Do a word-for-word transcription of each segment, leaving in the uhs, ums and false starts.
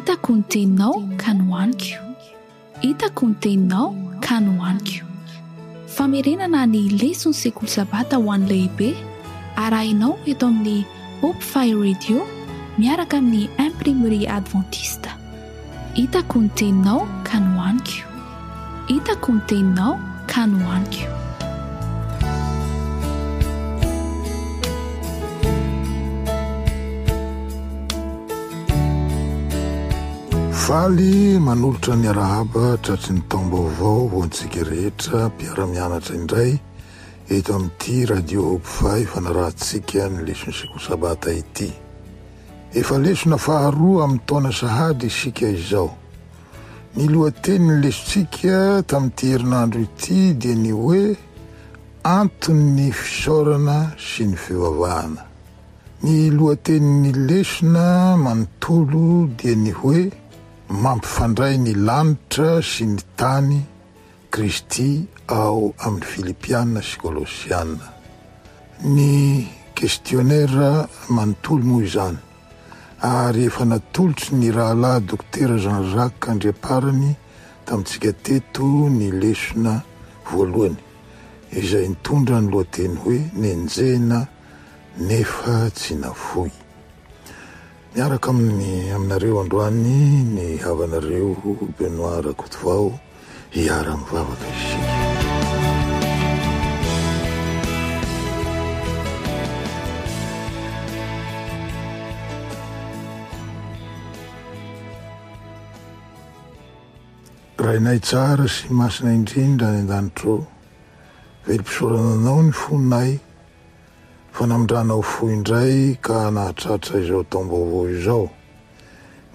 Hitako ny teninao ka nohaniko. Hitako ny teninao ka nohaniko. Famerenana ny leson'ny sekoly sabata ho an'ny lehibe arahinao eto amin'ny Hope Fire Radio miaraka amin'ny Imprimerie Adventiste. Hitako ny teninao ka nohaniko. Hitako ny teninao ka nohaniko. Faly manolotra ny arahaba tratry ny taom-baovao ho antsika rehetra mpiara-mianatra indray eto amin'ity Radio Hope Five fanarahantsika ny leson'ny sekoly sabata ity. Efa lesona faharoa amin'ny taona sahady isika izao. Ny lohatenin'ny lesontsika tamin'ity herinandro ity dia ny hoe anton'ny fisaorana sy ny fivavahana. Ny lohatenin'ny lesona manontolo dia ny hoe mampifandray ny lanitra sy ny tany Kristy ao amin'ny Filipiana sy Kolosiana. Ny questionnaire manontolo moa izany ary efa natolotry ny rahalahy Dokotera Jean-Jacques Andriamparany tamintsika teto ny lesona voalohany izay nitondra ny lohateny hoe nenjehina nefa tsy nafoy. Miaraka amin'ny aminareo androany ny havanareo Benoît Rakotovao hiara-mivavaka isika. Rainay tsara sy masina indrindra any an-danitra ô, velom-pisaorana anao ny fonay fa namindranao fo indray ka nahatratra izao taom-baovao izao.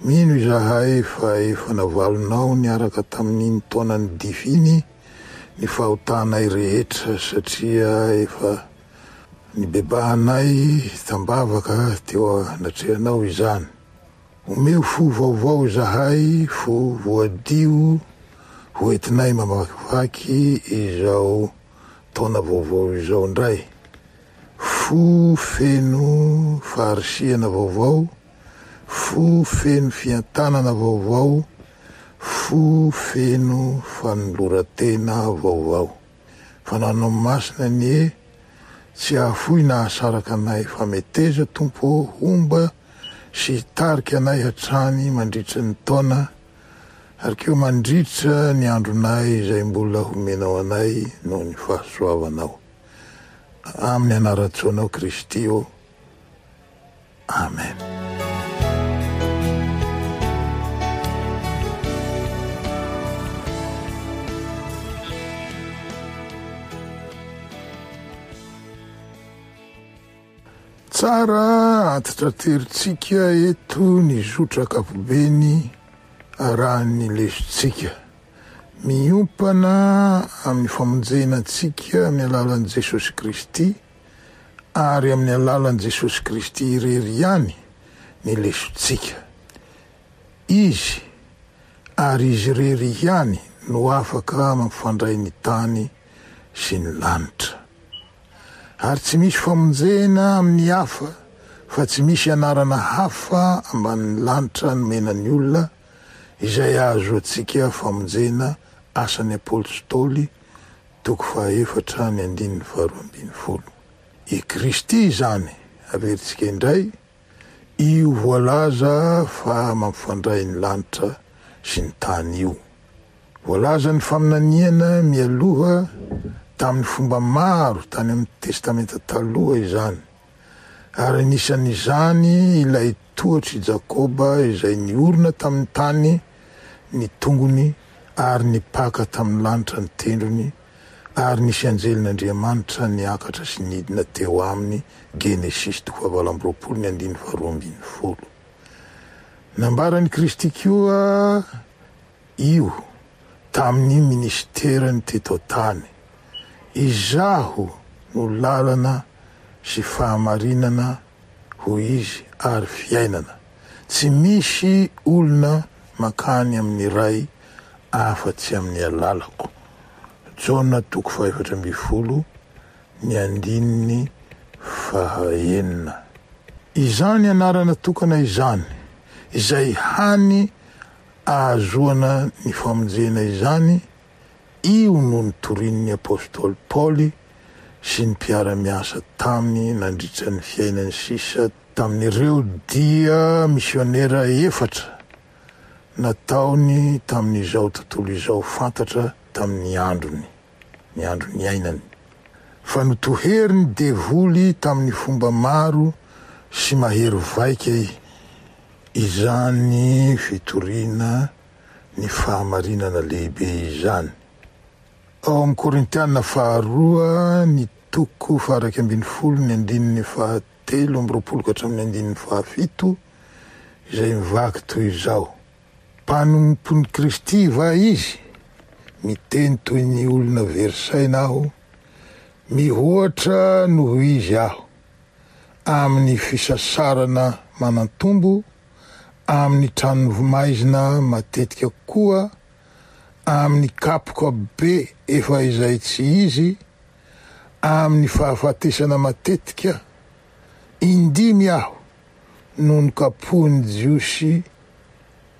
Mino izahay fa efa navalonao niaraka tamin'iny taonan'ny dify iny ny fahotanay rehetra satria efa nibebahanay tambavaka teo anatrehanao izany. Omeo fo vaovao izahay, fo voadio ho entinay mamakivaky izao taona vaovao izao indray. Fo feno faharisihana vaovao, fo feno fiantanana vaovao, fo feno fanoloran-tena vaovao. Fananao masina anie tsy hahafoy na hahasaraka anay fa meteza Tompo homba sy hitarika anay hatrany mandritra ny taona ary koa mandritra ny andronay izay mbola homenao anay noho ny fahasoavanao. Amin'ny anaran-tsoanao Kristy ô. Amen. Tsara antitrateritsika eto ny zotra ankapobeny arahan'ny lesontsika. Miompana amin'ny famonjena antsika amin'ny alalan'i Jesosy Kristy ary amin'ny alalan'i Jesosy Kristy irery ihany ny lesontsika. Izy ary izy irery ihany no afaka mampifandray ny tany sy ny lanitra. Ary tsy misy famonjena amin'ny hafa fa tsy misy anarana hafa ambanin'ny lanitra nomena ny olona izay ahazoantsika famonjena. Asan'ny Apôstôly toko fahaefatra ny andininy faharoa ambin'ny folo. I Kristy izany averintsika indray io voalaza fa mampifandray ny lanitra sy ny tany io. Voalaza ny faminaniana mialoha tamin'ny fomba maro tany amin'ny Testamenta taloha izany. Ary anisan'izany ilay tohatr'i Jakoba izay niorina tamin'ny tany ny tongony ary nipaka tamin'ny lanitra ny tendrony ary nisy anjelin'Andriamanitra niakatra sy nidina teo aminy. Genesisy toko fahavalo amby roapolo ny andininy faharoa ambin'ny folo. Nambaran'i Kristy koa io tamin'ny ministerany teto an-tany. Izaho no lalana sy fahamarinana, hoy izy, ary fiainana. Tsy misy olona mankany amin'ny Ray afa-tsy amin'ny alalako. Jaona toko fahaefatra ambin'ny folo ny andininy fahaenina. Izany anarana tokana izany, izay hany ahazoana ny famonjena izany, io no nitorian'ny apostoly Paoly sy ny mpiara-miasa taminy nandritra ny fiainany sisa tamin'ireo dia misionera efatra nataony tamin'izao tontolo izao fantatra tamin'ny androny, ny andro niainany. Fa notoherin'ny devoly tamin'ny fomba maro sy mahery vaika izany fitoriana ny fahamarinana lehibe izany. Ao amin'ny Korintiana faharoa ny toko faha-iraika ambin'ny folo ny andininy fahatelo amby roapolo ka hatramin'ny andininy fahafito izay mivaky toy izao: Mpanompon'i Kristy va izy? Miteny toy ny olona very saina aho, mihoatra noho izy aho, amin'ny fisasarana manantombo, amin'ny tranomaizina matetika koa, amin'ny kapoka be efa izay tsy izy, amin'ny fahafatesana matetika. Indimy aho no nokapohin'ny Jiosy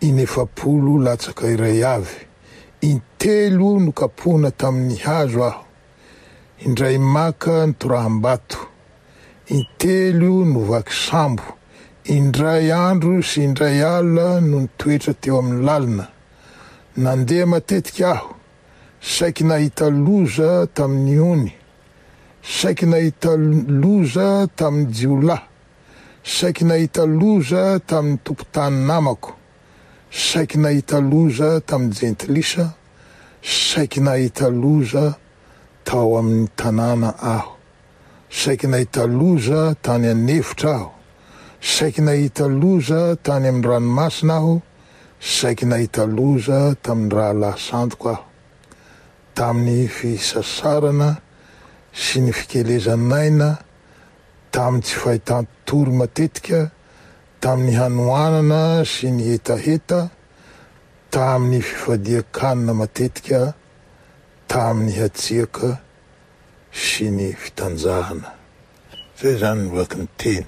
inefapolo latsaka iray avy, intelo nokapohina tamin'ny hazo aho, indray maka nitoraham-bato, intelo novaky sambo, indray andro sy indray alina no nitoetra teo amin'ny lalina. Nandeha matetika aho, saiky nahita loza tamin'ny ony, saiky nahita loza tamin'ny jiolahy, saiky nahita loza tamin'ny tompon-tany namako, saiky nahita loza tamin'ny jentilisa, saiky nahita loza tao amin'ny tanàna aho, saiky nahita loza tany an'efitra aho, saiky nahita loza tany amin'ny ranomasina aho, saiky nahita loza tamin'ny rahalahy sandoka aho, tamin'ny fisasarana sy ny fikelezan'aina, tamin'ny tsy fahitan-tory matetika, tamin'ny hanoanana sy ny hetaheta, tamin'ny fifadian-kanina matetika, tamin'ny hatsiaka sy ny fitanjahana. Zay zany ny vaky ny teny.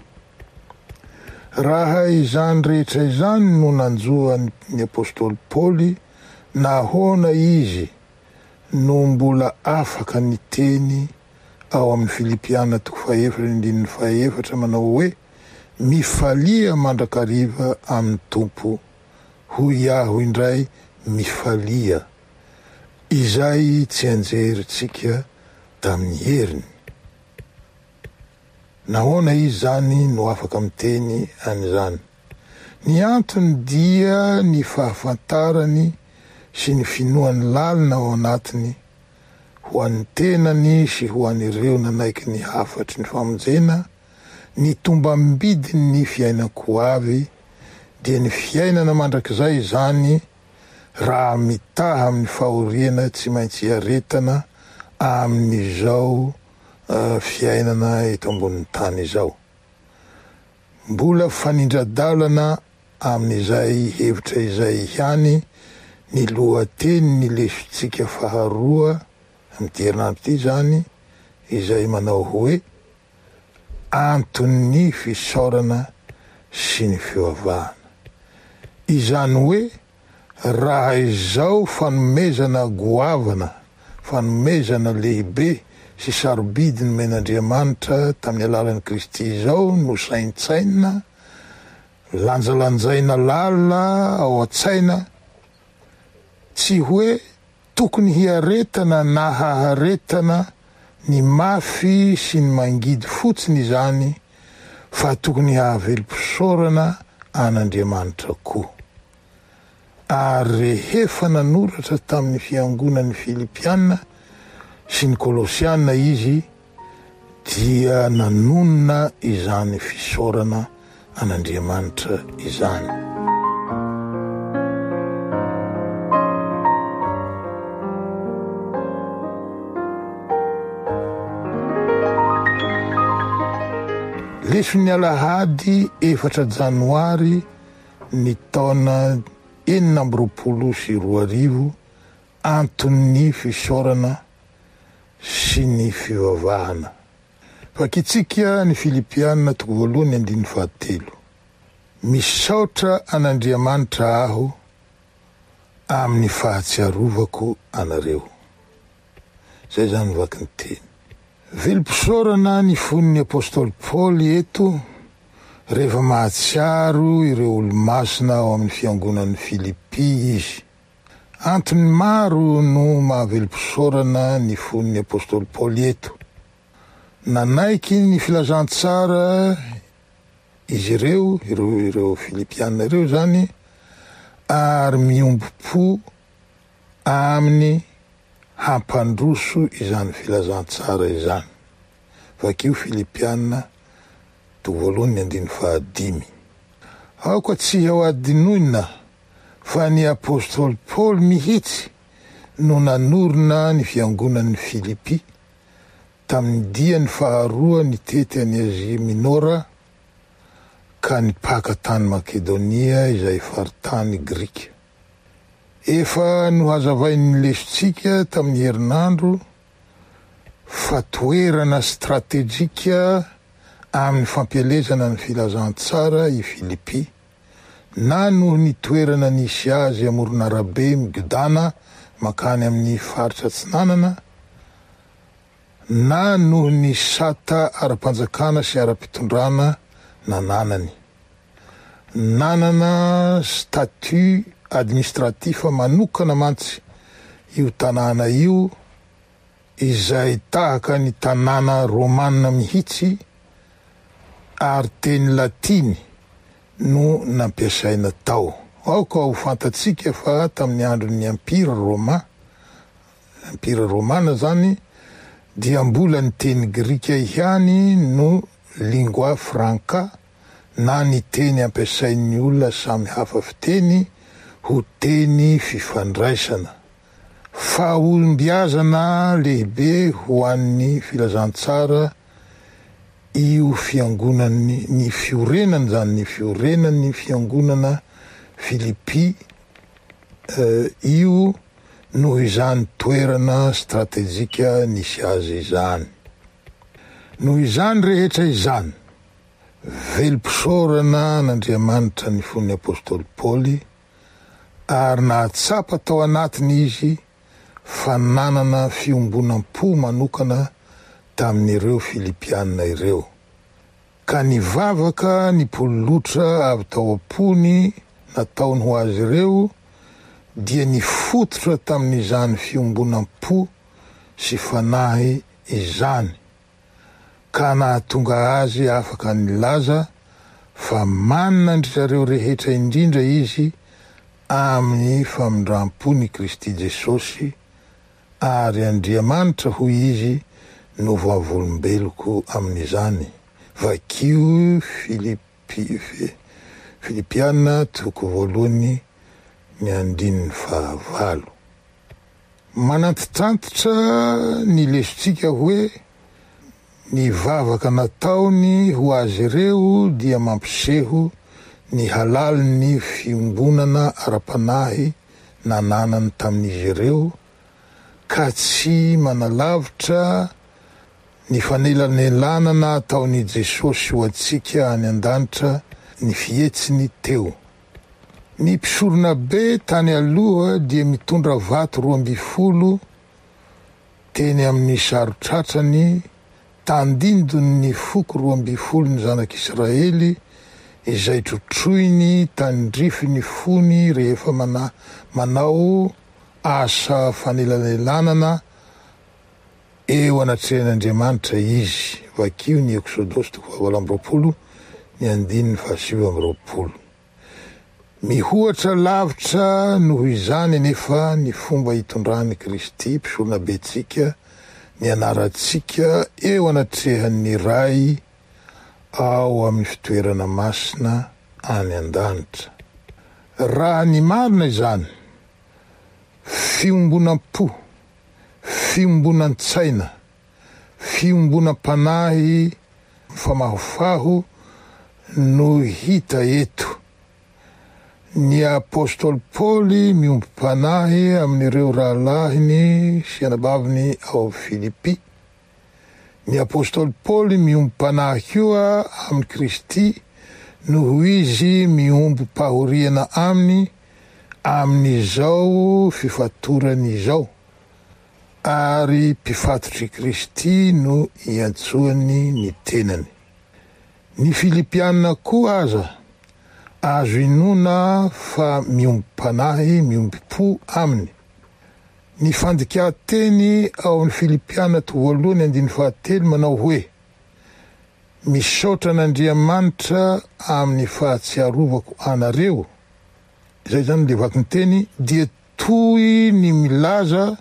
Raha izany rehetra izany no nanjo ny apostoly Paoly, nahoana izy no mbola afaka niteny ao amin'ny Filipiana toko fahaefatra andininy fahaefatra manao hoe: mifalia mandrakariva amin'ny Tompo, hoy aho indray, mifalia, izay tsy anjerintsika tamin'ny heriny. Nahoana izy zany no afaka miteny an'izany? Ny antony dia ny fahafantarany sy ny finoany lalina ao anatiny ho an'ny tenany sy ho an'ireo nanaiky ny hafatry ny famonjena, ny tombam-bidin'ny fiainan-ko avy, dia ny fiainana mandrakizay izany raha mitaha amin'ny fahoriana tsy maintsy iaretana amin'izao fiainana eto ambonin'ny tany izao. Mbola fanindra-dalana amin'izay hevitra izay ihany ny lohateny ny lesotsika faharoa amin'ity herinandro ity zany, izay manao hoe anton'ny fisaorana sy ny fivavahana. Izany hoe raha izao fanomezana goavana, fanomezana lehibe sy sarobidy nomen'Andriamanitra tamin'ny alalan'i Kristy izao no saintsaina, lanjalanjaina lalina ao an-tsaina, tsy hoe tokony hiaretana na haharetana ny mafy sy ny mangidy fotsiny izany, fa tokony hahavelom-pisaorana an'Andriamanitra koa. Ary rehefa nanoratra tamin'ny fiangonan'ny Filipiana sy ny Kolosiana izy, dia nanonona izany fisaorana an'Andriamanitra izany. Leson'ny alahady efatra janoary ny taona enina amby roapolo sy roa arivo, anton'ny fisaorana sy ny fivavahana. Vakitsika ny Filipiana toko voalohany andininy fahatelo. Misaotra an'Andriamanitra aho amin'ny fahatsiarovako anareo. Zay zany vaky ny teny. Velom-pisaorana ny fon'ny apostoly Paoly eto rehefa mahatsiaro ireo olo-masina ao amin'ny fiangonan'ny Filipy izy. Antony maro no mahavelom-pisaorana ny fon'ny apostoly Paoly eto. Nanaiky ny filazantsara izy ireo, ireo ireo Filipiana ireo zany, ary miombom-po aminy hampandroso izany filazantsara izany. Vakio Filipiana toko voalohany ny andininy fahadimy. Aoka tsy ho adinoina fa ny apostoly Paoly mihitsy no nanorina ny fiangonan'ny Filipy tamin'ny diany faharoa nitety an'i Azia Minora ka nipaka tany Makedonia izay faritany grika. Efa nohazavain'ny lesontsika tamin'ny herinandro fa toerana stratejika amin'ny fampielezana ny filazantsara i Filipy, na noho ny toerana nisy azy amoron'arabe migodana mankany amin'ny faritra atsinanana, na noho ny sata ara-panjakana sy ara-pitondrana nananany. Nanana statut administratif manokana mantsy io tanàna io, izay tahaka ny tanàna romana mihitsy, ary teny latiny no nampiasaina tao. Aoka ho fantatsika fa tamin'ny andron'ny Empire Roma, Empire Romana zany, dia mbola ny teny grika ihany no lingua franca, na ny teny ampiasain'ny olona samy hafa fiteny ho teny fifandraisana. Fahombiazana lehibe ho an'ny filazantsara io fiangonany, ny fiorenany zany, ny fiorenany fiangonana Filipy eh, io noho izany toerana stratejika nisy azy izany. Noho izany rehetra izany, velom-pisaorana an'Andriamanitra ny fon'ny apostoly Paoly, ary nahatsapa tao anatiny izy fa nanana fiombonam-po manokana tamin'ireo Filipiana ireo. Ka nivavaka nipololotra avy tao am-pony nataony ho azy ireo, dia nifototra tamin'izany fiombonam-po sy fanahy izany, ka nahatonga azy afaka nilaza fa manana an-dry zareo rehetra indrindra izy amin'ny famindram-pony Kristy Jesosy, ary Andriamanitra hoy izy no vavolombeloko amin'izany. Vakio Filipy, Filipiana toko voalohany ny andininy fahavalo. Manantitrantitra ny lesontsika hoe ny vavaka nataony ho azy ireo dia mampiseho ny halalin'ny fiombonana ara-panahy nananany tamin'izy ireo, ka tsy manalavitra ny fanelanelanana ataon'i Jesosy ho antsika any an-danitra ny fihetsiny teo. Ny mpisoronabe tany aloha dia mitondra vato roa amby folo teny amin'ny saron-tratrany tandindon'ny foko roa amby folo ny zanak'Israely, izay trotroiny tandrify ny fony rehefa mana, manao asa fanelanelanana eo anatrehan'Andriamanitra izy. Vakio ny Eksodosy toko fahavalo amby roapolo ny andininy fahasivy amby roapolo. Mihoatra lavitra noho izany anefa ny fomba hitondran'i Kristy mpisoronabentsika ny anarantsika eo anatrehan'ny Ray ao amin'ny fitoerana masina any an-danitra. Raha ny marina izany, fiombonam-po, fiombonan-tsaina, fiombonam-panahy mifamahofaho no hita eto. Ny apostoly Paoly miombom-panahy amin'ireo rahalahiny sy anabaviny ao Filipy. Ny apostoly Paoly miombom-panahy koa amin'i Kristy noho izy miombom-pahoriana aminy amin'izao fifatorany izao, ary mpifatotr'i Kristy no iantsoany ny tenany. Ny Filipiana koa aza azo inoana fa miombom-panahy, miombom-po aminy. Ny fandikan-teny ao amin'ny Filipiana toko voalohany andininy fahatelo manao hoe: Misaotra an'Andriamanitra amin'ny fahatsiarovako anareo. Izay zany le vakin-teny dia toy ny milaza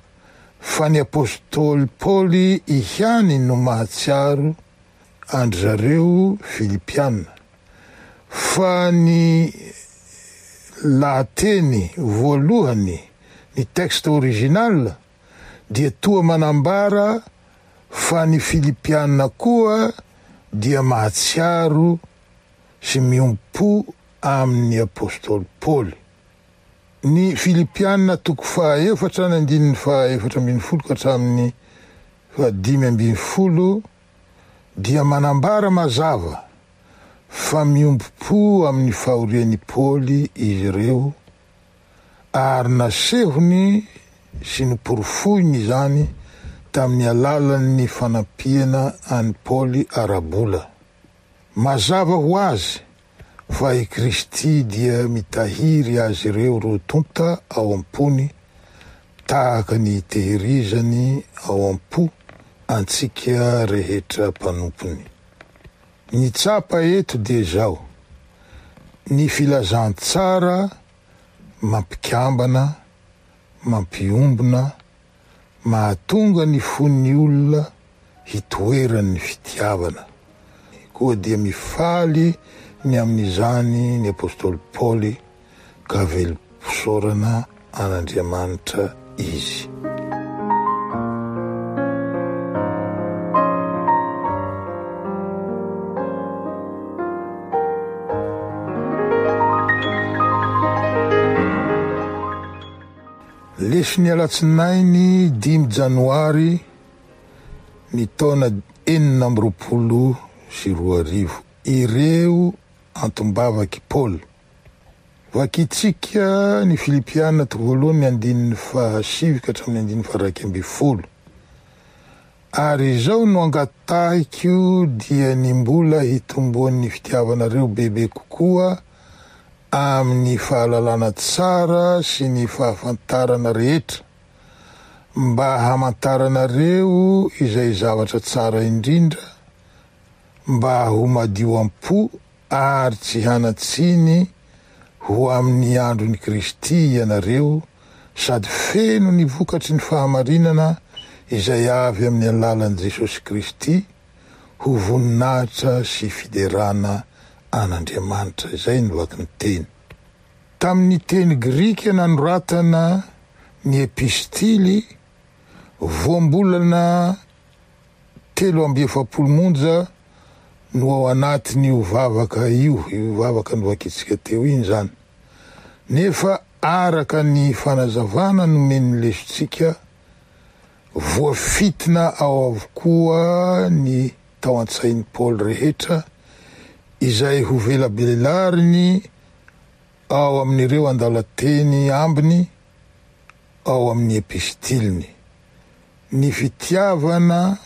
fa ny apostoly Paoly ihany no mahatsiaro an-dry zareo Filipiana, fa ny lahateny voalohany, ny texte original, dia toa manambara fa ny Filipiana koa dia mahatsiaro sy miombom-po amin'ny apostoly Paoly. Ny Filipiana toko fahaefatra ny andininy fahaefatra ambin'ny folo ka hatramin'ny fahadimy ambin'ny folo dia manambara mazava fa miombom-po amin'ny fahorian'i Paoly izy ireo, ary nasehony sy noporofoiny izany tamin'ny alalan'ny fanampiana an'i Paoly ara-bola. Mazava ho azy fa i Kristy dia mitahiry azy ireo roa tonta ao am-pony, tahaka ny tehirizany ao am-po antsika rehetra mpanompony. Ny tsapa eto dia izao: ny filazantsara mampikambana, mampiombona, mahatonga ny fon'ny olona hitoeran'ny fitiavana. Koa dia mifaly ny amin'izany ny apostoly Paoly ka velom-pisaorana an'Andriamanitra izy. Leson'ny alatsinainy dimy janoary ny taona enina amby roapolo sy roa arivo. Ireo antom-bavaky Paoly. Vakintsika ny Filipiana toko voalohany ny andininy fahasivy ka hatramin'ny andininy faha-iraika ambin'ny folo. Ary izao no angatahiko dia ny mbola hitomboan'ny fitiavanareo bebe kokoa amin'ny fahalalana tsara sy ny fahafantarana rehetra, mba hamantaranareo izay zavatra tsara indrindra, mba ho madio am-po ary tsy hanan-tsiny ho amin'ny andron'i Kristy ianareo, sady feno ny vokatry ny fahamarinana izay avy amin'ny alalan'i Jesosy Kristy, ho voninahitra sy fiderana an'Andriamanitra. Izay no vakin-teny. Tamin'ny teny grika nanoratana ny epistily, voambolana telo amby efapolo monja no ao anatin'io vavaka io, io vavaka novakintsika teo iny zany. Nefa araka ny fanazavana nomen'ny lesontsika, voafitina ao avokoa ny tao an-tsain'i Paoly rehetra izay ho velabelariny ao amin'ireo andalan-teny ambiny ao amin'ny epistiliny. Ny fitiavana,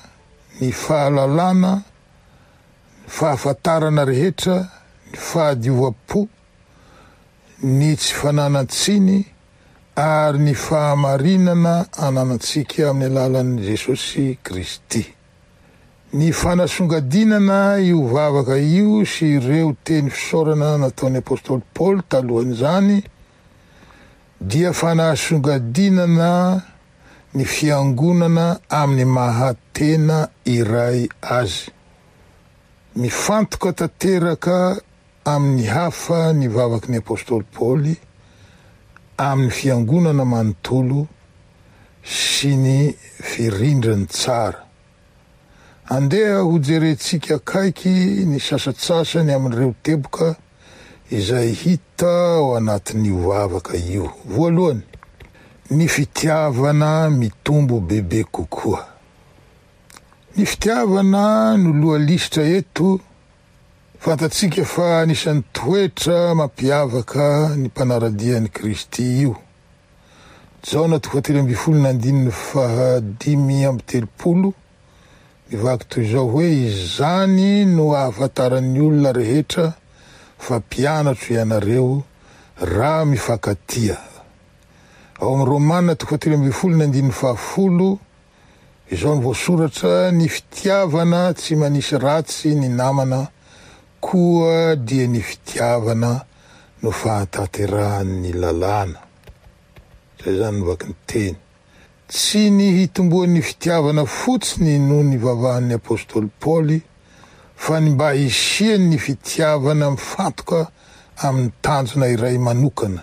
ny fahalalana, ny fahafantarana rehetra, ny fahadiovam-po, ny tsy fananan-tsiny ary ny fahamarinana ananantsika amin'ny alalan'i Jesosy Kristy. Ny fanasongadinana io vavaka io sy ireo teny fisaorana nataon'ny apostoly Paoly talohan'izany dia fanasongadinana ny fiangonana amin'ny maha tena iray azy. Mifantoka tanteraka amin'ny hafa ny vavaky ny apostoly Paoly amin'ny fiangonana manontolo sy ny firindrany tsara. Andeha hojerentsika akaiky ny sasantsasany amin'ireo teboka izay hita ao anatin'io vavaka io. Voalohany, ny fitiavana mitombo bebe kokoa. Ny fitiavana no loha lisitra eto, Fantatsika fa anisan'ny toetra mampiavaka ny mpanara-dia an'i Kristy io. Jaona toko fahatelo ambin'ny folo ny andininy fahadimy amby telopolo mivaky toy izao hoe izany no ahafantaran'ny olona rehetra fa mpianatro ianareo raha mifankatia. Ao amin'ny Romana toko fahatelo ambin'ny folo ny andininy fahafolo izao no voasoratra ny fitiavana tsy manisy ratsy ny namana koa dia ny fitiavana no fahatanterahan'ny lalàna. Zay zany no vaky ny teny. Tsy ny hitomboan'ny fitiavana fotsiny no nivavahan'ny apostoly Paoly fa ny mba hisian'ny fitiavana mifantoka amin'ny tanjona iray manokana,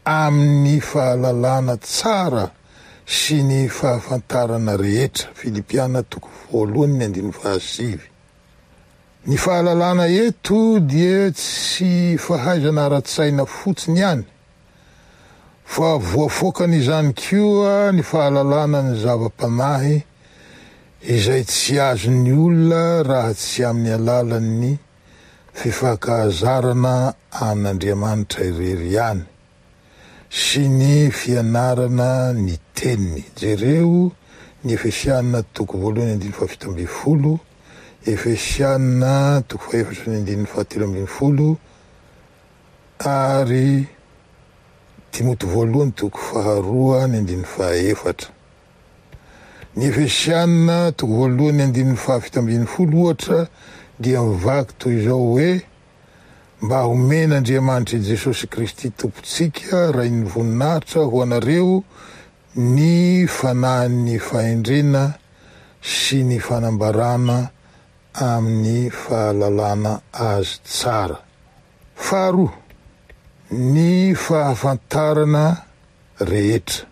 amin'ny fahalalana tsara sy ny fahafantarana rehetra. Filipiana toko voalohany ny andininy fahasivy. Ny fahalalana eto dia tsy fahaizana ara-tsaina fotsiny ihany, fa voafoakany izany koa ny fahalalana ny zava-panahy izay tsy azon'ny olona raha tsy amin'ny alalan'ny fifankahazarana amin'Andriamanitra irery ihany sy ny fianarana ny teniny. Jereo ny Efesiana toko voalohany andininy fahafito ambin'ny folo, Efesiana toko fahaefatra ny andininy fahatelo ambin'ny folo ary Timoty voalohany toko faharoa ny andininy fahaefatra. Ny Efesiana toko voalohany andininy fahafito ambin'ny folo ohatra dia mivaky toy izao hoe mba homen'Andriamanitra Jesosy Kristy Tompontsika Rain'ny voninahitra ho anareo ny fanahin'ny fahendrena sy ny fanambarana amin'ny fahalalana azy tsara. Faharoa, ny fahafantarana rehetra.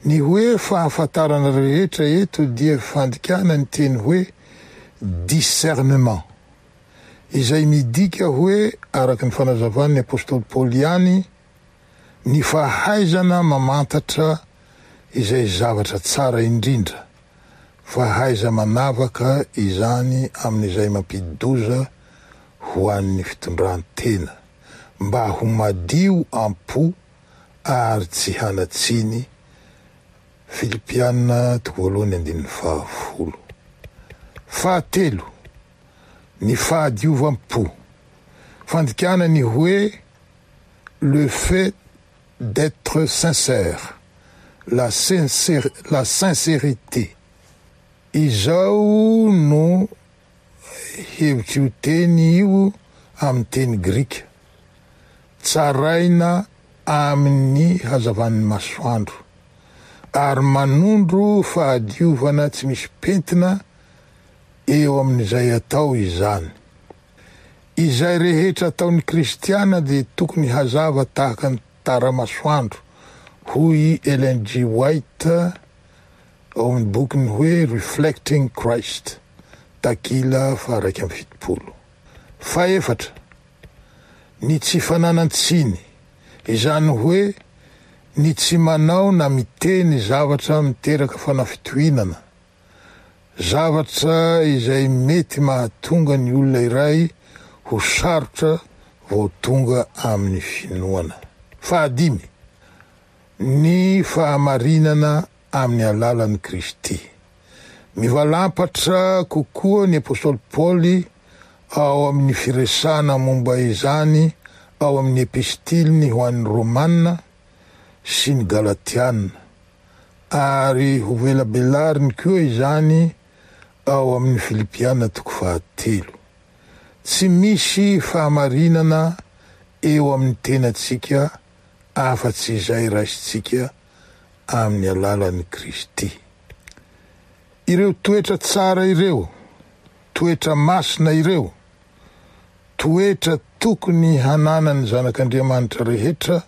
Ny hoe fahafantarana rehetra eto dia fandikana ny teny hoe discernement, izay midika hoe araka ny fanazavan'ny apostoly Paoly ihany ny fahaizana mamantatra izay zavatra tsara indrindra, fahaiza manavaka izany amin'izay mampidi-doza ho an'ny fitondran-tena, mba ho madio am-po ary tsy hanatsiny. Filipiana toko voalohany andininy fahafolo. Fahatelo, ny fahadiovam-po. Fandikana ny hoe le fait d'être sincère, la sincère, la sincérité. Izao no hevitr'io teny io amin'ny teny grika. Tsaraina amin'ny hazavan'ny masoandro ary manondro fahadiovana tsy misy pentina eo amin'izay atao izany. Izay rehetra ataon'ny kristiana dia tokony hazava tahaka ny tara-masoandro, hoy Ellen G. White ao amin'ny bokiny hoe Reflecting Christ, takila faha-iraika amby fitopolo. Fahefatra, ny tsy fananan-tsiny, izany hoe ny tsy manao na miteny zavatra miteraka fanafitohinana, zavatra izay mety mahatonga ny olona iray ho sarotra vao tonga amin'ny finoana. Fahadimy, ny fahamarinana amin'ny alalan'i Kristy. Mivalampatra kokoa ny apostoly Paoly ao amin'ny firesahana momba izany ao amin'ny epistiliny ho an'ny Romana sy ny Galatiana, ary ho velabelariny koa izany ao amin'ny Filipiana toko fahatelo. Tsy misy fahamarinana eo amin'ny tenantsika afa-tsy izay raisintsika amin'ny alalan'i Kristy. Ireo toetra tsara ireo, toetra masina ireo, toetra tokony hananan'ny zanak'Andriamanitra rehetra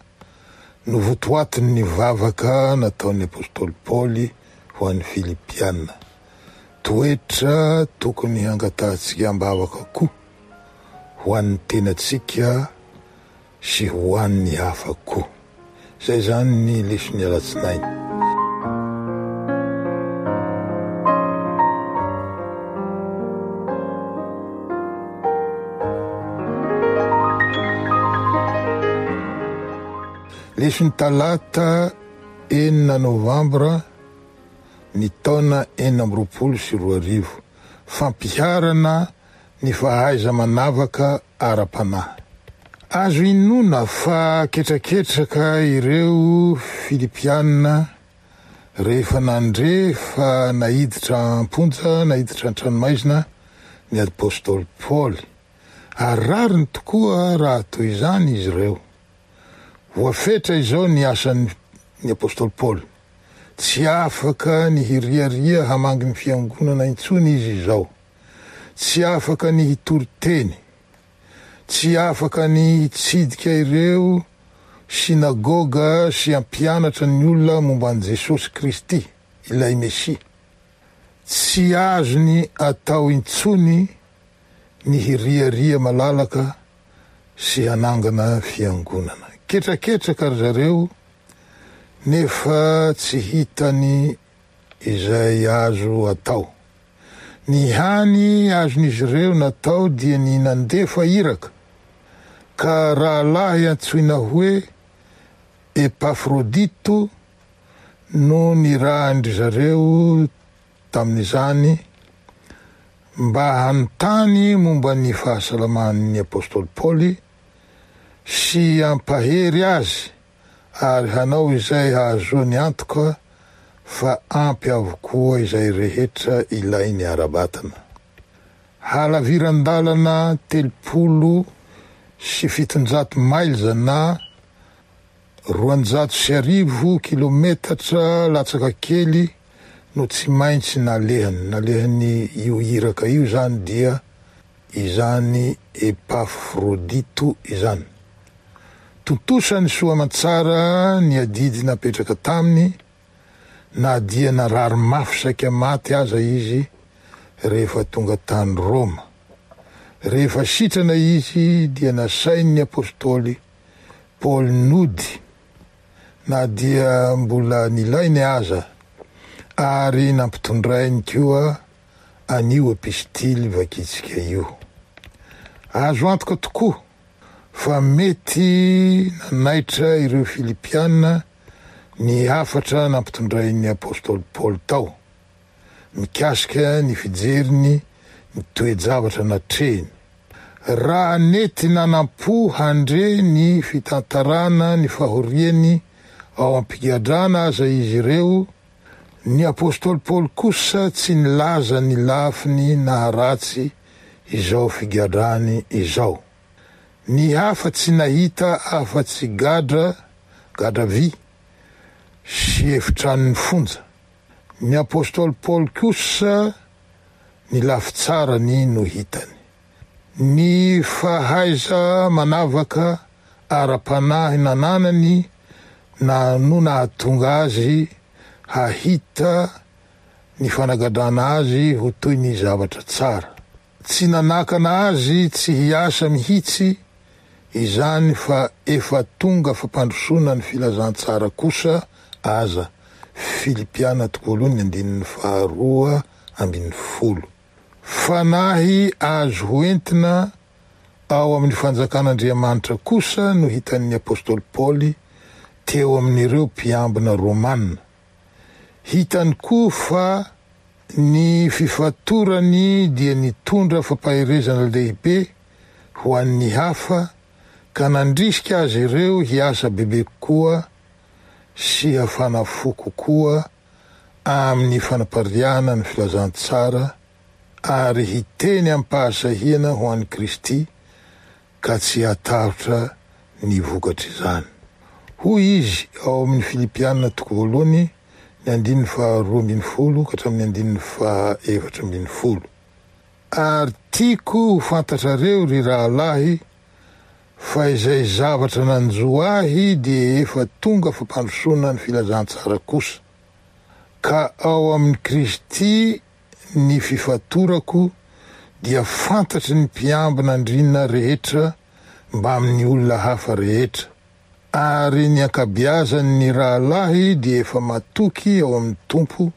no votoatin'ny vavaka nataon'ny apostoly Paoly ho an'ny Filipiana. Toetra tokony hangatahantsika am-bavaka koa ho an'ny tenantsika sy ho an'ny hafa koa. Zay zany ny leson'ny alatsinainy. Leson'ny talata enina novambra ny taona enina amby roapolo sy roa arivo. Fampiharana ny fahaiza-manavaka ara-panahy. Azo inoana fa ketraketraka ireo Filipiana rehefa nandre fa naiditra am-ponja, naiditra an-tranomaizina ny apostoly Paoly. Ary rariny tokoa raha toy izany izy ireo. Voafetra izao ny asan'ny ny apostoly Paoly. Tsy afaka ny hiriaria hamangy ny fiangonana intsony izy izao. Tsy afaka ny hitory teny. Tsy afaka ny hitsidika ireo sinagoga sy hampianatra ny olona momba an'i Jesosy Kristy, ilay Mesia. Tsy azony atao intsony ny hiriaria malalaka sy hanangana fiangonana. Ketraketraka ry zareo nefa tsy hitany izay azo atao. Ny hany azon'izy ireo natao dia ny nandefa iraka, ka rahalahy antsoina hoe Epafrodito no nirahan-dry zareo tamin'izany mba hanontany momba ny fahasalaman'ny apostoly Paoly sy hampahery azy ary hanao izay hahazoany antoka fa ampy avokoa izay rehetra ilainy ara-batana. Halaviran-dalana telopolo sy fitonjato mailza na roanjato sy arivo kilometatra latsaka kely no tsy maintsy nalehany. Nalehany io iraka io zany dia izany Epafrodito izany. Tontosany soa aman-tsara ny adidy napetraka taminy, na dia narary mafy saika maty aza izy rehefa tonga tany Roma. Rehefa sitrana izy dia nasain'ny apostoly Paoly nody, na dia mbola nilainy aza, ary nampitondrainy koa an'io epistily vakitsika io. Azo antoka tokoa fa mety nanaitra ireo Filipiana ny hafatra nampitondrain'ny apostoly Paoly tao, mikasika ny fijeriny ny toe-javatra natrehiny. Raha nety nanam-po handre ny fitantarana ny fahoriany ao am-pigadrana aza izy ireo, ny apostoly Paoly kosa tsy nilaza ny lafiny naharatsy izao figadrany izao. Ny hafa tsy nahita afa-tsy gadra, gadra vy sy efitranon'ny fonja. Ny apostoly Paoly kosa ny lafy tsarany no hitany. Ny fahaiza manavaka ara-panahy nananany na no nahatonga azy hahita ny fanagadrana azy ho toy ny zavatra tsara. Tsy nanakana azy tsy hiasa mihitsy izany fa efa tonga fampandrosoana ny filazantsara kosa aza. Filipiana toko voalohany andininy faharoa ambin'ny folo. Fanahy azo hoentina ao amin'ny fanjakan'Andriamanitra kosa no hitan'ny apostoly Paoly teo amin'ireo mpiambina romana. Hitany koa fa ny fifatorany dia nitondra fampaherezana lehibe ho an'ny hafa ka nandrisika azy ireo hiasa bebe kokoa sy hafana fo kokoa amin'ny fanapariahana ny filazantsara ary hiteny am-pahasahiana ho an'i Kristy ka tsy hatahotra ny vokatr'izany. Hoy izy ao amin'ny Filipiana toko voalohany ny andininy faharoa ambin'ny folo ka hatramin'ny andininy fahaefatra ambin'ny folo. Ary tiako ho fantatrareo ry rahalahy fa izay zavatra nanjo ahy dia efa tonga fampandrosoana ny filazantsara kosa. Ka ao amin'i Kristy ny fifatorako dia fantatry ny mpiambina andriana rehetra mbamin'ny olona hafa rehetra. Ary ny ankabeazan'ny rahalahy dia efa matoky ao amin'ny Tompo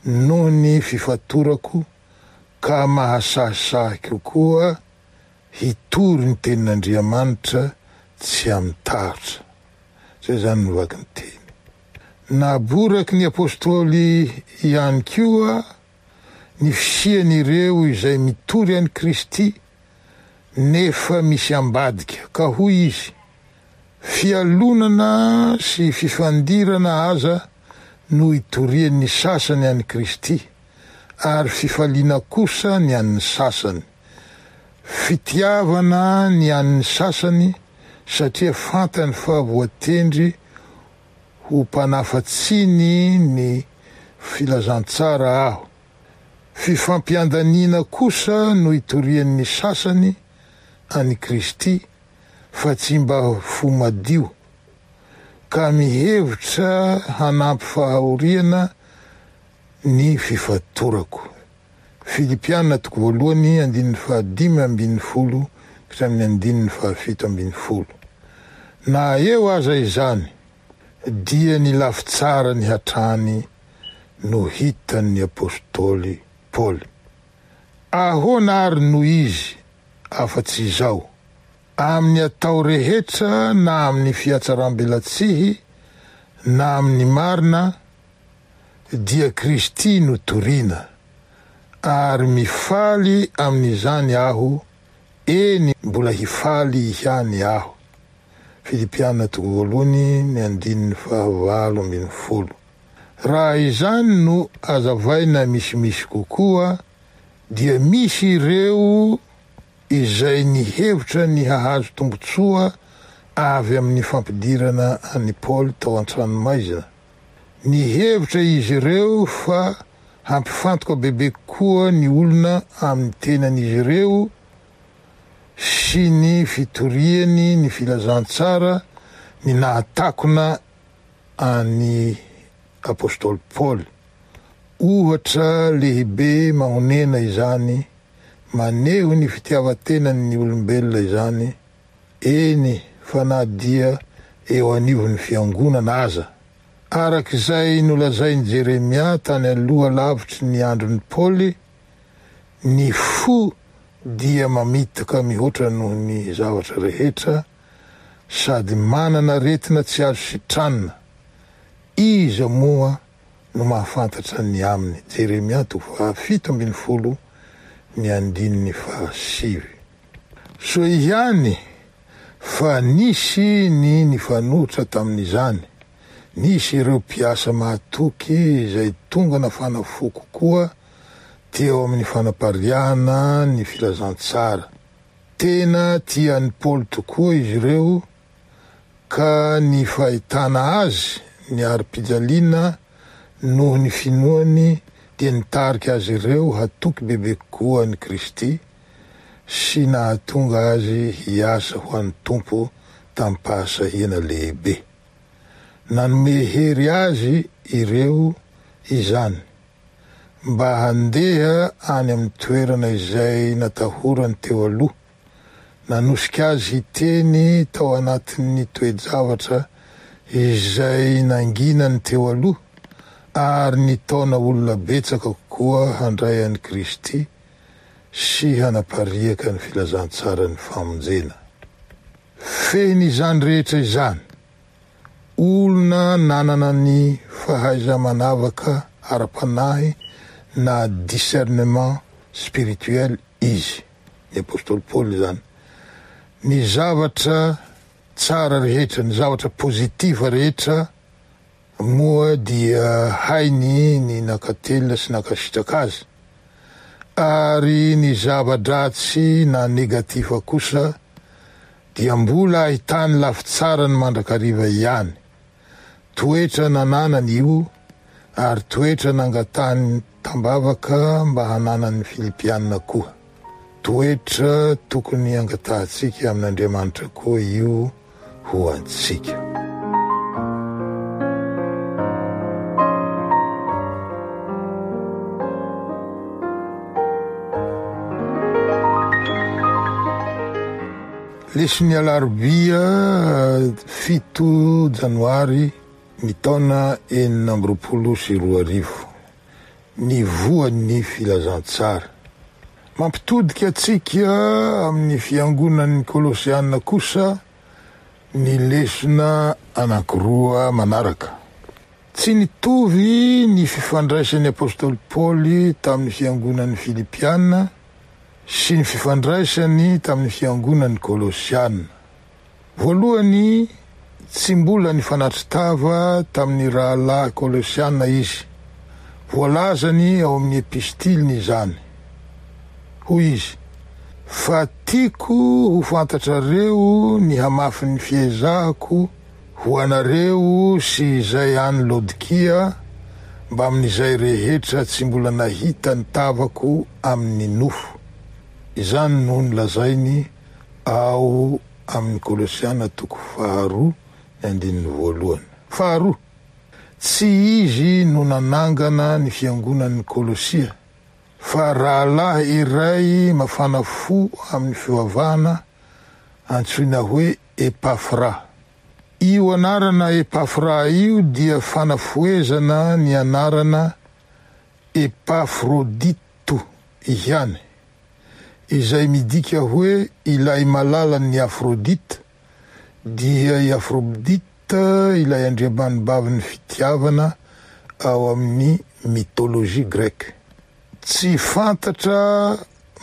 noho ny fifatorako ka mahasahisahy kokoa hitory ny tenin'Andriamanitra tsy amin'ny tahotra. Izay izany no vaky ny teny. Naboraky ny apostoly ihany koa ny fisian'ireo izay mitory an'i Kristy nefa misy ambadika, ka hoy izy: fialonana sy fifandirana aza no itorian'ny sasany an'i Kristy, ary fifaliana kosa ny an'ny sasany. Fitiavana ny an'ny sasany satria fantany fa voatendry ho mpanafatsiny ny filazantsara aho. Fifampiandaniana kosa no itorian'ny sasany an'i Kristy fa tsy mba fo madio, ka mihevitra hanampy fahoriana ny fifatorako. Filipiana toko voalohany andininy fahadimy ambin'ny folo ka hatramin'ny andininy fahafito ambin'ny folo. Na eo aza izany dia ny lafy tsarany hatrany no hitan'ny apostoly Paoly. Ahoana ary no izy afa-tsy izao? Amin'ny atao rehetra na amin'ny fihatsaram-belatsihy na amin'ny marina dia Kristy no torina, ary mifaly amin'izany aho, eny mbola hifaly ihany aho. Filipiana toko voalohany ny andininy fahavalo ambin'ny folo. Raha izany no azavaina misimisy kokoa dia misy ireo izay nihevitra ny hahazo tombontsoa avy amin'ny fampidirana an'i Paoly tao an-tranomaizina. Nihevitra izy ireo fa hampifantoka bebe kokoa ny olona amin'ny tenan'izy ireo sy ny fitoriany ny filazantsara ny nahatakona an'i apostoly Paoly. Ohatra lehibe mahonena izany, maneho ny fitiavan-tenan'ny olombelona izany, eny fa na dia eo anivon'ny fiangonana aza. Araka izay nolazain'i Jeremia tany aloha lavitry ny andron'i Paoly, ny fo dia mamitaka mihoatra noho ny zavatra rehetra sady manana aretina tsy azo sitranina. Iza moa no mahafantatra ny aminy? Jeremia toko fahafito ambin'ny folo ny andininy fahasivy. Soa ihany fa nisy ny nifanohitra tamin'izany. Nisy ireo mpiasa mahatoky izay tonga nafana fo kokoa teo amin'ny fanapariahana ny filazantsara. Tena tian'i Paoly tokoa izy ireo ka ny fahitana azy niari-pijaliana noho ny finoany dia nitarika azy ireo hatoky bebe kokoa an'i Kristy sy nahatonga azy hiasa ho an'ny Tompo tamim-pahasahiana lehibe. Nanome hery azy ireo izany mba handeha any amin'ny toerana izay natahorany teo aloha. Nanosika azy hiteny tao anatin'ny toe-javatra izay nanginany teo aloha ary nitaona olona betsaka kokoa handray an'i Kristy sy hanapariaka ny filazantsaran'ny famonjena. Fehiny izany rehetra izany, olona nanana ny fahaiza-manavaka ara-panahy na discernement spirituel izy, ny apostoly Paoly izany. Ny zavatra tsara rehetra, ny zavatra pozitiva rehetra moa dia hainy ny nakatelina sy nakasitraka azy, ary ny zava-dratsy na negatifa kosa dia mbola ahitany lafy tsarany mandrakariva ihany. Toetra nananany io ary toetra nangatahany tambavaka mba hananan'ny Filipiana koa. Toetra tokony angatahantsika amin'Andriamanitra koa io ho antsika. Leson'ny alarobia fito janoary ny taona enina amby roapolo sy roa arivo. Ny voan'ny filazantsara. Mampitodika antsika amin'ny fiangonan'ny Kolosiana kosa ny lesona anankiroa manaraka. Tsy nitovy ny fifandraisan'ny apostoly Paoly tamin'ny fiangonan'ny Filipiana sy ny fifandraisany tamin'ny fiangonan'ny Kolosiana. Voalohany, tsy mbola nifanatri-tava tamin'ny rahalahy Kolosiana izy. Voalazany ao amin'ny epistiliny izany. Hoy izy: "Fa tiako ho fantatrareo ny hamafin'ny fiezahako ho anareo sy izay any Laodikia, mbamin'izay rehetra tsy mbola nahita ny tavako amin'ny nofo." Izany no nolazainy ao amin'ny Kolosiana toko faharoa ny andininy voalohany. Faharoa, tsy izy no nanangana ny fiangonan'ny Kolosia, fa rahalahy iray mafana fo amin'ny fivavahana antsoina hoe Epafra. Io anarana Epafra io dia fanafohezana ny anarana Epafrodito ihany, izay midika hoe ilay malalan'ny Afrodite, dia i Afrodite ilay andriamanibavin'ny fitiavana ao amin'ny mythologie grecque. Tsy fantatra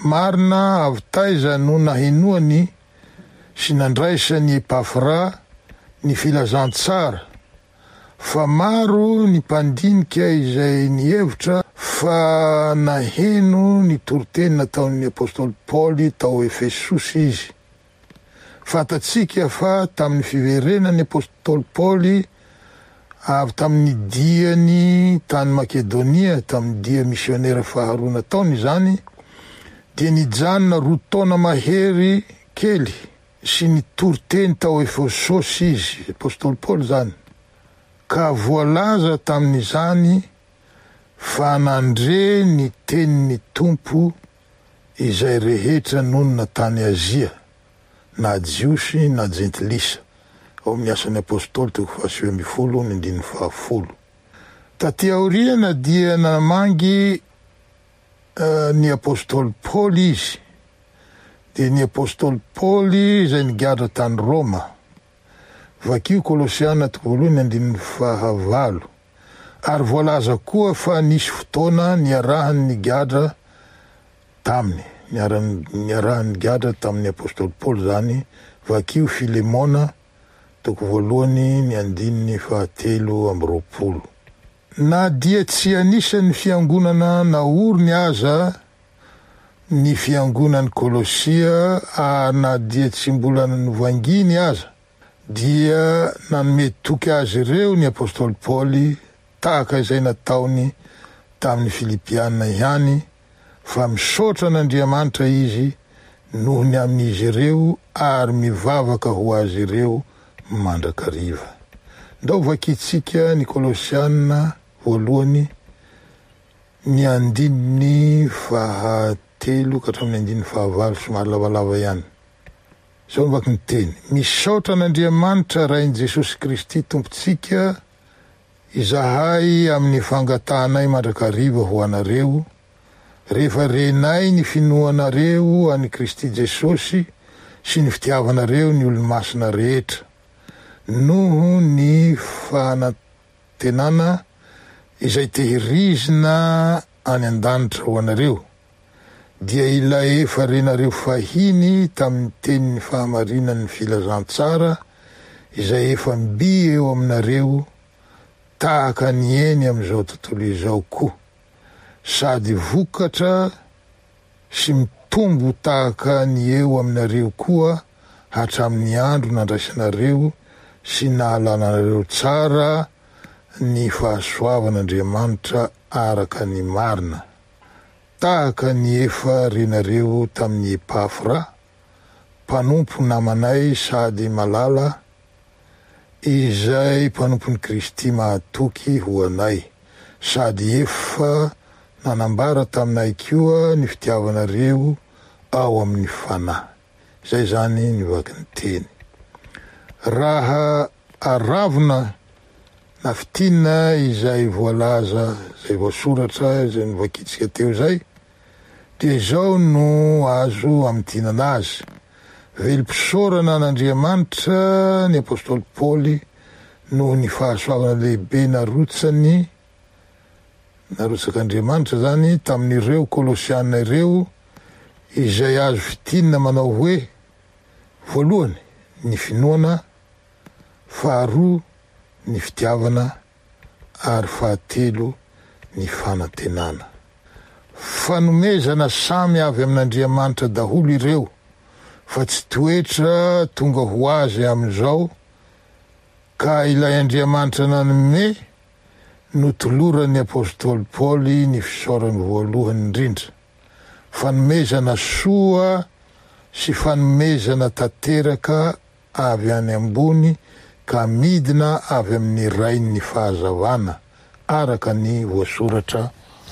marina avy taiza no nahenoany sy nandraisany Epafra ny filazantsara, fa maro ny mpandinika izay nihevitra fa naheno ny toriteny nataon'ny apostoly Paoly tao Efesosy izy. Fantatsika fa tamin'ny fiverenan'ny apostoly Paoly avy tamin'ny diany tany Makedonia, tamin'ny dia misionera faharoa nataony izany, dia nijanona roa taona mahery kely sy nitoriteny tao Efesosy izy, apostoly Paoly zany, ka voalaza tamin'izany fa nandre ny tenin'ny Tompo izay rehetra nonina tany Azia, na Jiosy na Jentilisa, ao amin'ny asan'ny apostoly toko fahasivy ambin'ny folo ny andininy fahafolo. Taty aoriana dia namangy ny apostoly Paoly izy, dia ny apostoly Paoly izay nigadra tany Roma. Vakio Kolosiana toko voalohany andininy fahavalo. Ary voalaza koa fa nisy fotoana niarahany nigadra taminy, niarahany nigadra tamin'ny apostoly Paoly zany. Vakio Filemona toko voalohany ny andininy fahatelo amby roapolo. Na dia tsy anisan'ny fiangonana naoriny aza ny fiangonan'ny Kolosia, ary na dia tsy mbola novanginy aza, dia nanome toky azy ireo ny apostoly Paoly, tahaka izay nataony tamin'ny Filipiana ihany, fa misaotra an'Andriamanitra izy noho ny amin'izy ireo ary mivavaka ho azy ireo mandrakariva. Ndao vakitsika ny Kolosiana voalohany ny andininy fahatelo ka hatramin'ny andininy fahavalo, somary lavalava ihany. Izao no vaky ny teny: "Misaotra an'Andriamanitra Rain'i Jesosy Kristy Tompontsika izahay amin'ny fangatahanay mandrakariva ho anareo, rehefa renay ny finoanareo an'i Kristy Jesosy sy ny fitiavanareo ny olo-masina rehetra, noho ny fanantenana izay tehirizina any an-danitra ho anareo, dia ilay efa renareo fahiny tamin'ny tenin'ny fahamarinan'ny filazantsara izay efa mby eo aminareo tahaka ny eny amin'izao tontolo izao koa, sady vokatra sy mitombo tahaka ny eo aminareo koa hatramin'ny andro nandraisanareo sy nahalanareo tsara ny fahasoavan'Andriamanitra araka ny marina, tahaka ny efa renareo tamin'ny Epafra, mpanompo namanay sady malala, izay mpanompon'i Kristy mahatoky ho anay, sady efa nanambara taminay koa ny fitiavanareo ao amin'ny fanahy. Izay zany ny vaky ny teny. Raha aravona na fitinina izay voalaza, izay voasoratra, izay novakitsika teo izay, dia izao no azo amintinana azy. Velom-pisaorana an'Andriamanitra ny apostoly Paoly noho ny fahasoavana lehibe narotsany, narotsak'Andriamanitra zany tamin'ireo Kolosiana ireo, izay azo fintinina manao hoe: voalohany ny finoana, faharoa ny fitiavana, ary fahatelo ny fanantenana. Fanomezana samy avy amin'Andriamanitra daholo ireo, fa tsy toetra tonga ho azy amin'izao, ka ilay Andriamanitra nanome no toloran'ny apostoly Paoly ny fisaorany voalohany indrindra. Fanomezana soa sy fanomezana tanteraka avy any ambony ka midina avy amin'ny Rain'ny fahazavana, araka ny voasoratra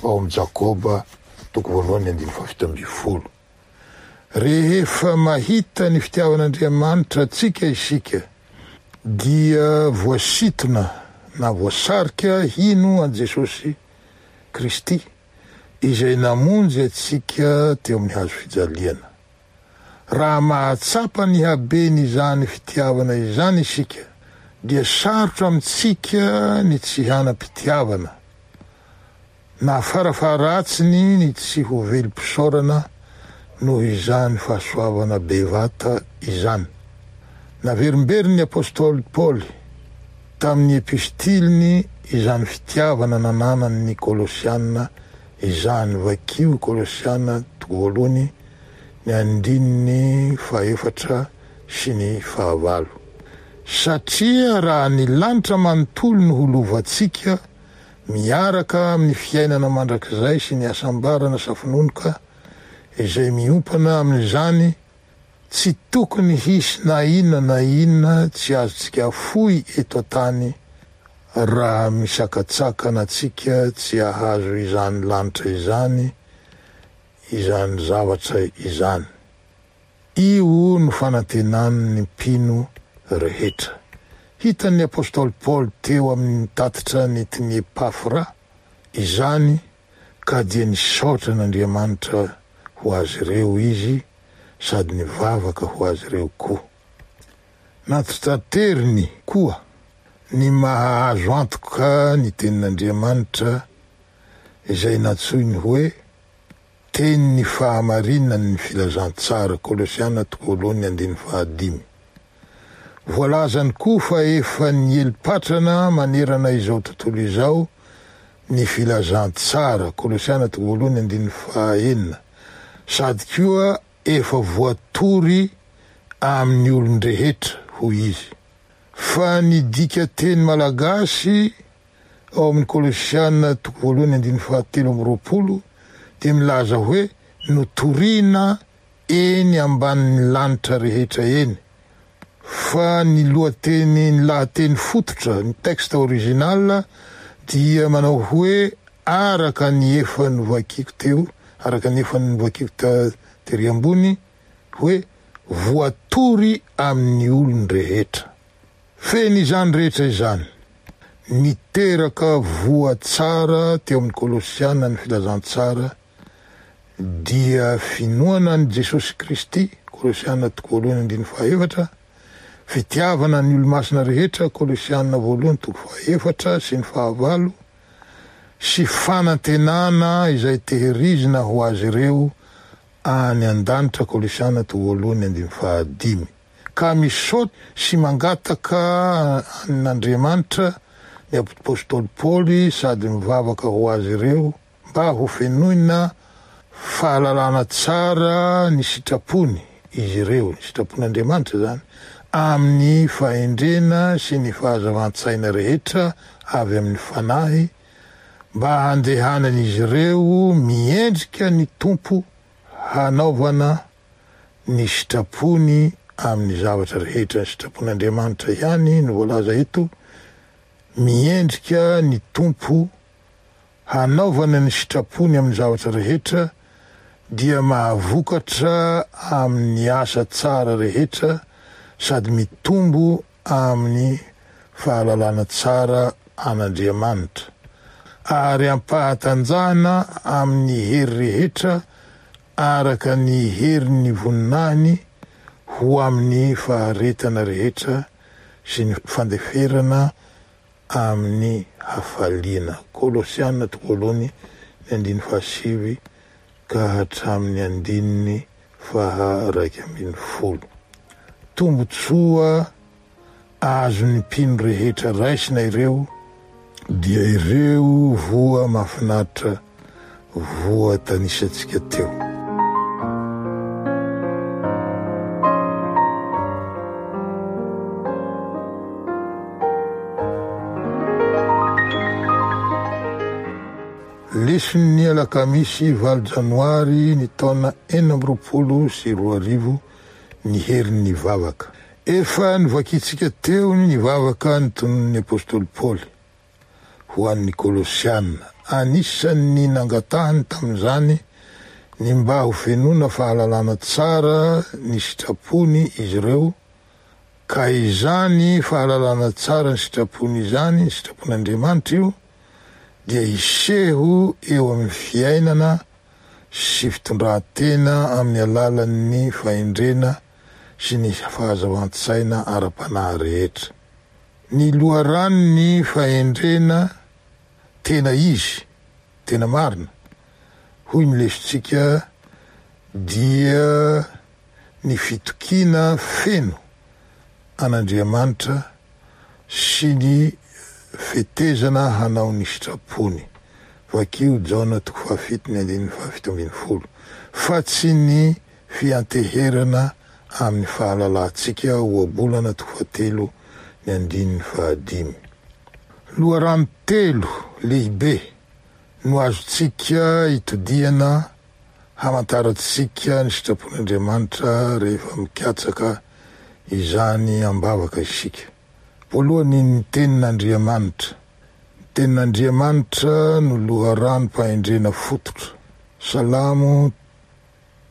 ao amin'ny Jakoba toko voalohany andininy fahafito ambin'ny folo. Rehefa mahita ny fitiavan'Andriamanitra antsika isika, dia voasintona na voasarika hino an'i Jesosy Kristy, izay namonjy antsika teo amin'ny hazo fijaliana. Raha mahatsapa ny haben'izany fitiavana izany isika, dia sarotra amintsika ny tsy hanam-pitiavana, na farafaharatsiny ny tsy ho velom-pisaorana noho izany fahasoavana bevata izany. Naverimberin'ny apostoly Paoly tamin'ny epistiliny izany fitiavana nananan'ny Kolosiana izany. Vakio Kolosiana toko voalohany ny andininy fahefatra sy ny fahavalo. Satria raha ny lanitra manontolo no ho lovantsika, miaraka amin'ny fiainana mandrakizay sy ny hasambarana safononoka izay miompana amin'izany, tsy tokony hisy na inona na inona tsy azontsika afoy eto an-tany raha misakatsakana antsika tsy hahazo izany lanitra izany, izany zavatra izany. Io no fanantenan'ny mpino rehetra. Hitan'ny apostoly Paoly teo amin'ny tatitra nentin'i Epafra izany, ka dia nisaotra an'Andriamanitra ho azy ireo izy sady nivavaka ho azy ireo koa. Natitateriny koa ny maha azo antoka ny tenin'Andriamanitra izay nantsoiny hoe tenin'ny fahamarinan'ny filazantsara, Kolosiana toko voalohany andininy fahadimy. Voalazany koa fa efa nieli-patrana manerana izao tontolo izao ny filazantsara, Kolosiana toko voalohany andininy fahaenina, sady koa efa voatory amin'ny olon-drehetra, hoy izy. Fa ny dika teny malagasy ao amin'ny Kolosiana toko voalohany andininy fahatelo amby roapolo dia milaza hoe notorina eny ambanin'ny lanitra rehetra eny. Fa ny lohateny, ny lahateny fototra, ny texte original dia manao hoe araka ny efa novakiko teo, araka ny efa novakiko tery ambony, hoe voatory amin'ny olon-drehetra. Feno izany rehetra izany, niteraka voa tsara teo amin'ny Kolosiana ny filazantsara, dia finoana an'i Jesosy Kristy, Kolosiana toko voalohany andininy fahaefatra, fitiavana ny olo-masina rehetra, Kolosiana voalohany toko fahaefatra sy ny fahavalo, sy fanantenana izay tehirizina ho azy ireo any an-danitra, Kolosiana toko voalohany andininy fahadimy. Ka misaotra sy mangataka an'Andriamanitra ny apostoly Paoly sady mivavaka ho azy ireo mba ho fenoina fahalalana tsara ny sitrapony izy ireo, ny sitrapon'Andriamanitra zany, amin'ny fahendrena sy ny fahazavan-tsaina rehetra avy amin'ny fanahy, mba handehanan'izy ireo miendrika ny Tompo hanaovana ny sitrapony amin'ny zavatra rehetra. Ny sitrapon'Andriamanitra ihany no voalaza eto, miendrika ny Tompo hanaovana ny sitrapony amin'ny zavatra rehetra, dia mahavokatra amin'ny asa tsara rehetra sady mitombo amin'ny fahalalana tsara an'Andriamanitra, ary ampahatanjahana amin'ny hery rehetra araka ny herin'ny voninahiny ho amin'ny faharetana rehetra sy ny fandeferana amin'ny hafaliana. Kolosiana toko voalohany ny andininy fahasivy ka hatramin'ny andininy faha iraika ambin'ny folo. Tombontsoa azon'ny mpino rehetra raisina ireo dia ireo voa mahafinaritra voatanisantsika teo. Leson'ny alakamisy valo janoary ny taona enina amby roapolo sy roa arivo ny herin'ny vavaka. Efa novakintsika teo ny vavaka notononin'ny apostoly Paoly ho an'ny Kolosiana. Anisan'ny nangatahany tamin'izany ny mba ho fenoina fahalalana tsara ny sitrapony izy ireo, ka izany fahalalana tsara ny sitrapony izany, ny sitrapon'Andriamanitra io, dia hiseho eo amin'ny fiainana sy fitondran-tena amin'ny alalan'ny fahendrena sy ny fahazavan-tsaina ara-panahy rehetra. Ny loharanon'ny fahendrena tena izy, tena marina, hoy ny lesontsika, dia ny fitokiana feno an'Andriamanitra sy ny fetezana hanao ny sitrapony. Vakio Jaona toko fahafito ny andininy fahafito ambin'ny folo, fa tsy ny fianteherana amin'ny fahalalantsika. Ohabolana toko fahatelo ny andininy fahadimy. Loharano telo lehibe no azontsika itodihana hamantarantsika ny sitrapon'Andriamanitra rehefa mikatsaka izany am-bavaka isika. Voalohany, ny tenin'Andriamanitra. Ny tenin'Andriamanitra no loharanom-pahendrena fototra. Salamo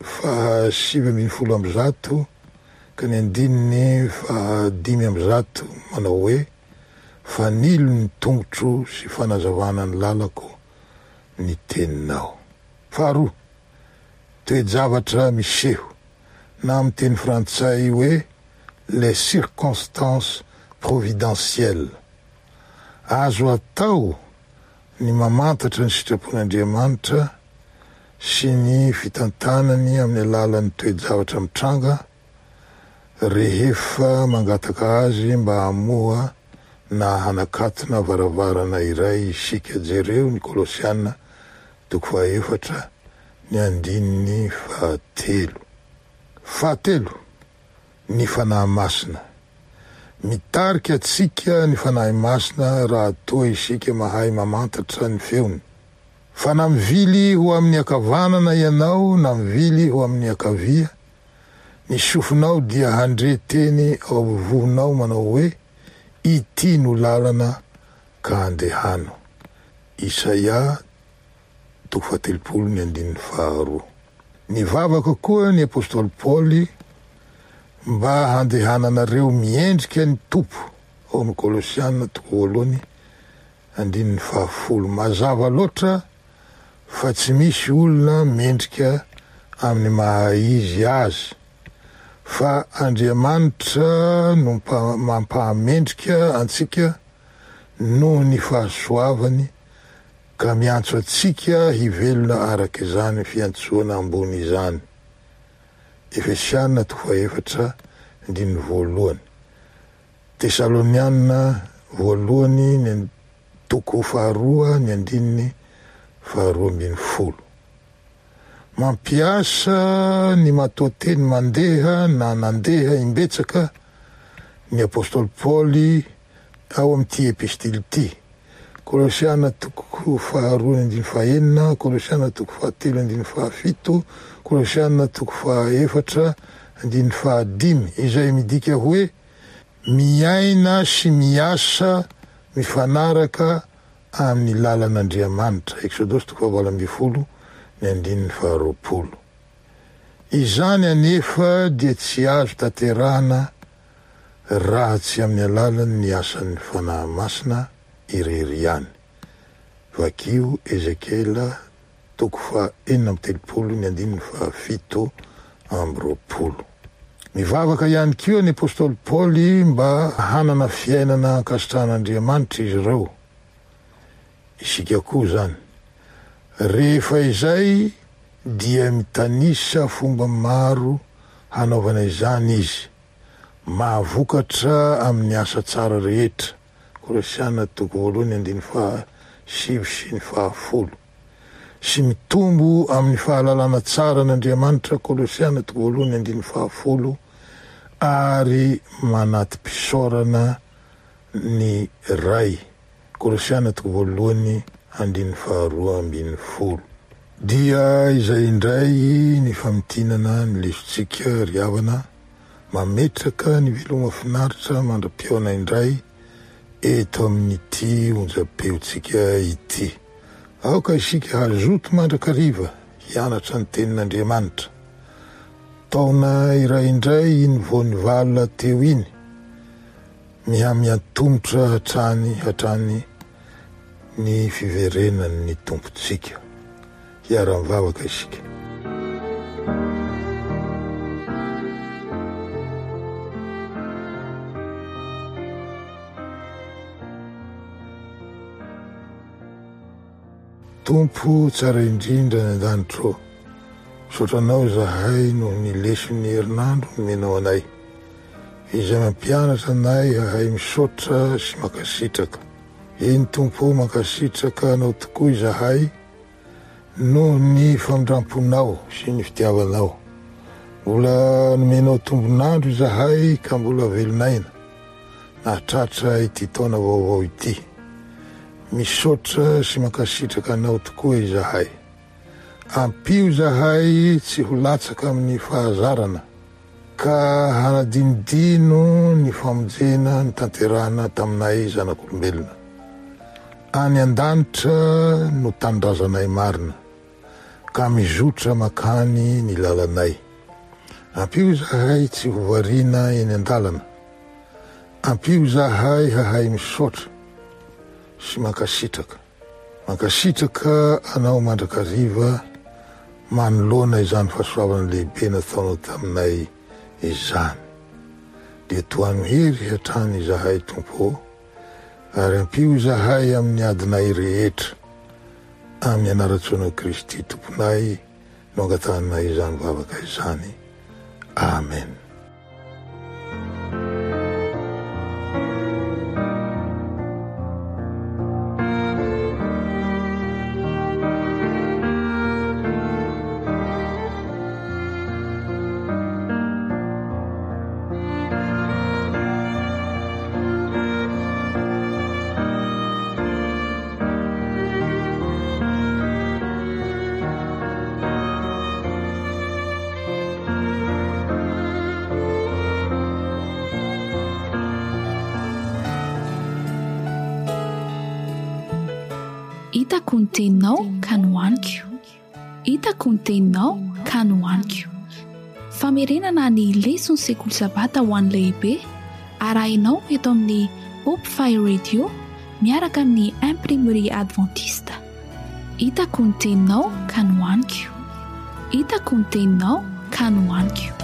faha sivy ambin'ny folo amby zato ka ny andininy faha dimy amby zato manao hoe: fanilo ny tongotro sy fanazavana ny lalako ny teninao. Faharoa, toe-javatra miseho, na amin'ny teny frantsay hoe les circonstances providentielles. Azo atao ny mamantatra ny sitrapon'Andriamanitra sy ny fitantanany amin'ny alalan'ny toe-javatra mitranga rehefa mangataka azy mba hamoha na hanakatona varavarana iray isika. Jereo ny Kolosiana toko fahaefatra ny andininy fahatelo. Fahatelo, ny Fanahy Masina. Mitarika antsika ny Fanahy Masina raha toa isika mahay mamantatra ny feony. Fa na mivily ho amin'ny ankavanana ianao na mivily ho amin'ny ankavia, ny sofinao dia handre teny ao am-bohonao manao hoe: ity no lalana ka andehano. Isaia toko fahatelopolo ny andininy faharoa. Nivavaka koa ny apostoly Paoly mba handehananareo miendrika ny Tompo, ao amin'ny Kolosiana toko voalohany andininy fahafolo. Mazava loatra fa tsy misy olona mendrika amin'ny maha izy azy, fa Andriamanitra no mampahamendrika antsika noho ny fahasoavany, ka miantso antsika hivelona araka izany fiantsoana ambony izany. Efesiana toko fahaefatra andininy voalohany. Tesaloniana voalohany ny toko faharoa ny andininy faharoa ambin'ny folo. Mampiasa ny matoanteny mandeha na nandeha imbetsaka ny apostoly Paoly ao amin'ity epistily ity. Kolosiana toko faharoa andininy fahenina, Kolosiana toko fahatelo andininy fahafito, Kolosiana toko fahaefatra andininy fahadimy, izay midika hoe miaina sy miasa mifanaraka amin'ny lalan'Andriamanitra. Eksodosy toko fahavalo ambin'ny folo ny andininy faharoapolo. Izany anefa dia tsy azo tanterahana raha tsy amin'ny alalan'ny asan'ny Fanahy Masina irery ihany. Vakio Ezekiela toko faha enina amby telopolo ny andininy fahafito amby roapolo. Mivavaka ihany koa ny apostoly Paoly mba hanana fiainana ankasitrahan'Andriamanitra izy ireo. Isika koa izany. Rehefa izay dia mitanisa fomba maro hanaovana izany izy. Mahavokatra amin'ny asa tsara rehetra. Kolosiana toko voalohany andininy faha sivy sy ny faha folo. Sy mitombo amin'ny fahalalana tsara an'Andriamanitra, Kolosiana toko voalohany andininy faha folo, ary manati-pisaorana ny Ray, Kolosiana toko voalohany andininy faharoa ambin'ny folo. Dia izay indray ny famintinana ny lesontsika ry havana, mametraka ny veloma finaritra mandra-pihaona indray eto amin'ity onjam-peontsika ity. Aoka isika hazoto mandrakariva hianatra ny tenin'Andriamanitra. Taona iray indray iny vao nivalona teo iny, mihamiantomotra hatrany hatrany ny fiverenan'ny Tompontsika. Hiara-mivavaka isika. Tompo tsara indrindra any an-danitra ô, misaotra Anao izahay noho ny leson'ny herinandro nomenao anay, izay mampianatra anay hahay misaotra sy mankasitraka. Eny Tompo ô, mankasitraka Anao tokoa izahay noho ny famindram-ponao sy ny fitiavanao. Mbola nomenao tombon'andro izahay ka mbola velon'aina nahatratra ity taona vaovao ity. Misaotra sy mankasitraka Anao tokoa izahay. Ampio izahay tsy ho latsaka amin'ny fahazarana, ka hanadinodino ny famonjena notanterahana taminay zanak'olombelona. Any an-danitra no tanindrazanay marina, ka mizotra makany ny lalanay. Ampio izahay tsy ho variana eny an-dalana. Ampio izahay hahay misaotra sy mankasitraka. Mankasitraka Anao mandrakariva manoloana izany fahasoavana lehibe nataonao taminay izany. Dia tohano hery hatrany izahay Tompo ô, ary ampio izahay amin'ny adinay rehetra. Amin'ny anaran-tsoanao Kristy Tomponay no angatahanay izany vavaka izany. Amen. Hitako ny teninao ka nohaniko. Hitako ny teninao ka nohaniko. Famerenana ny leson'ny sekoly sabata ho an'ny lehibe arahinao eto amin'ny Hope Fire Radio miaraka amin'ny Imprimerie Adventiste. Hitako ny teninao ka nohaniko. Hitako ny teninao ka nohaniko.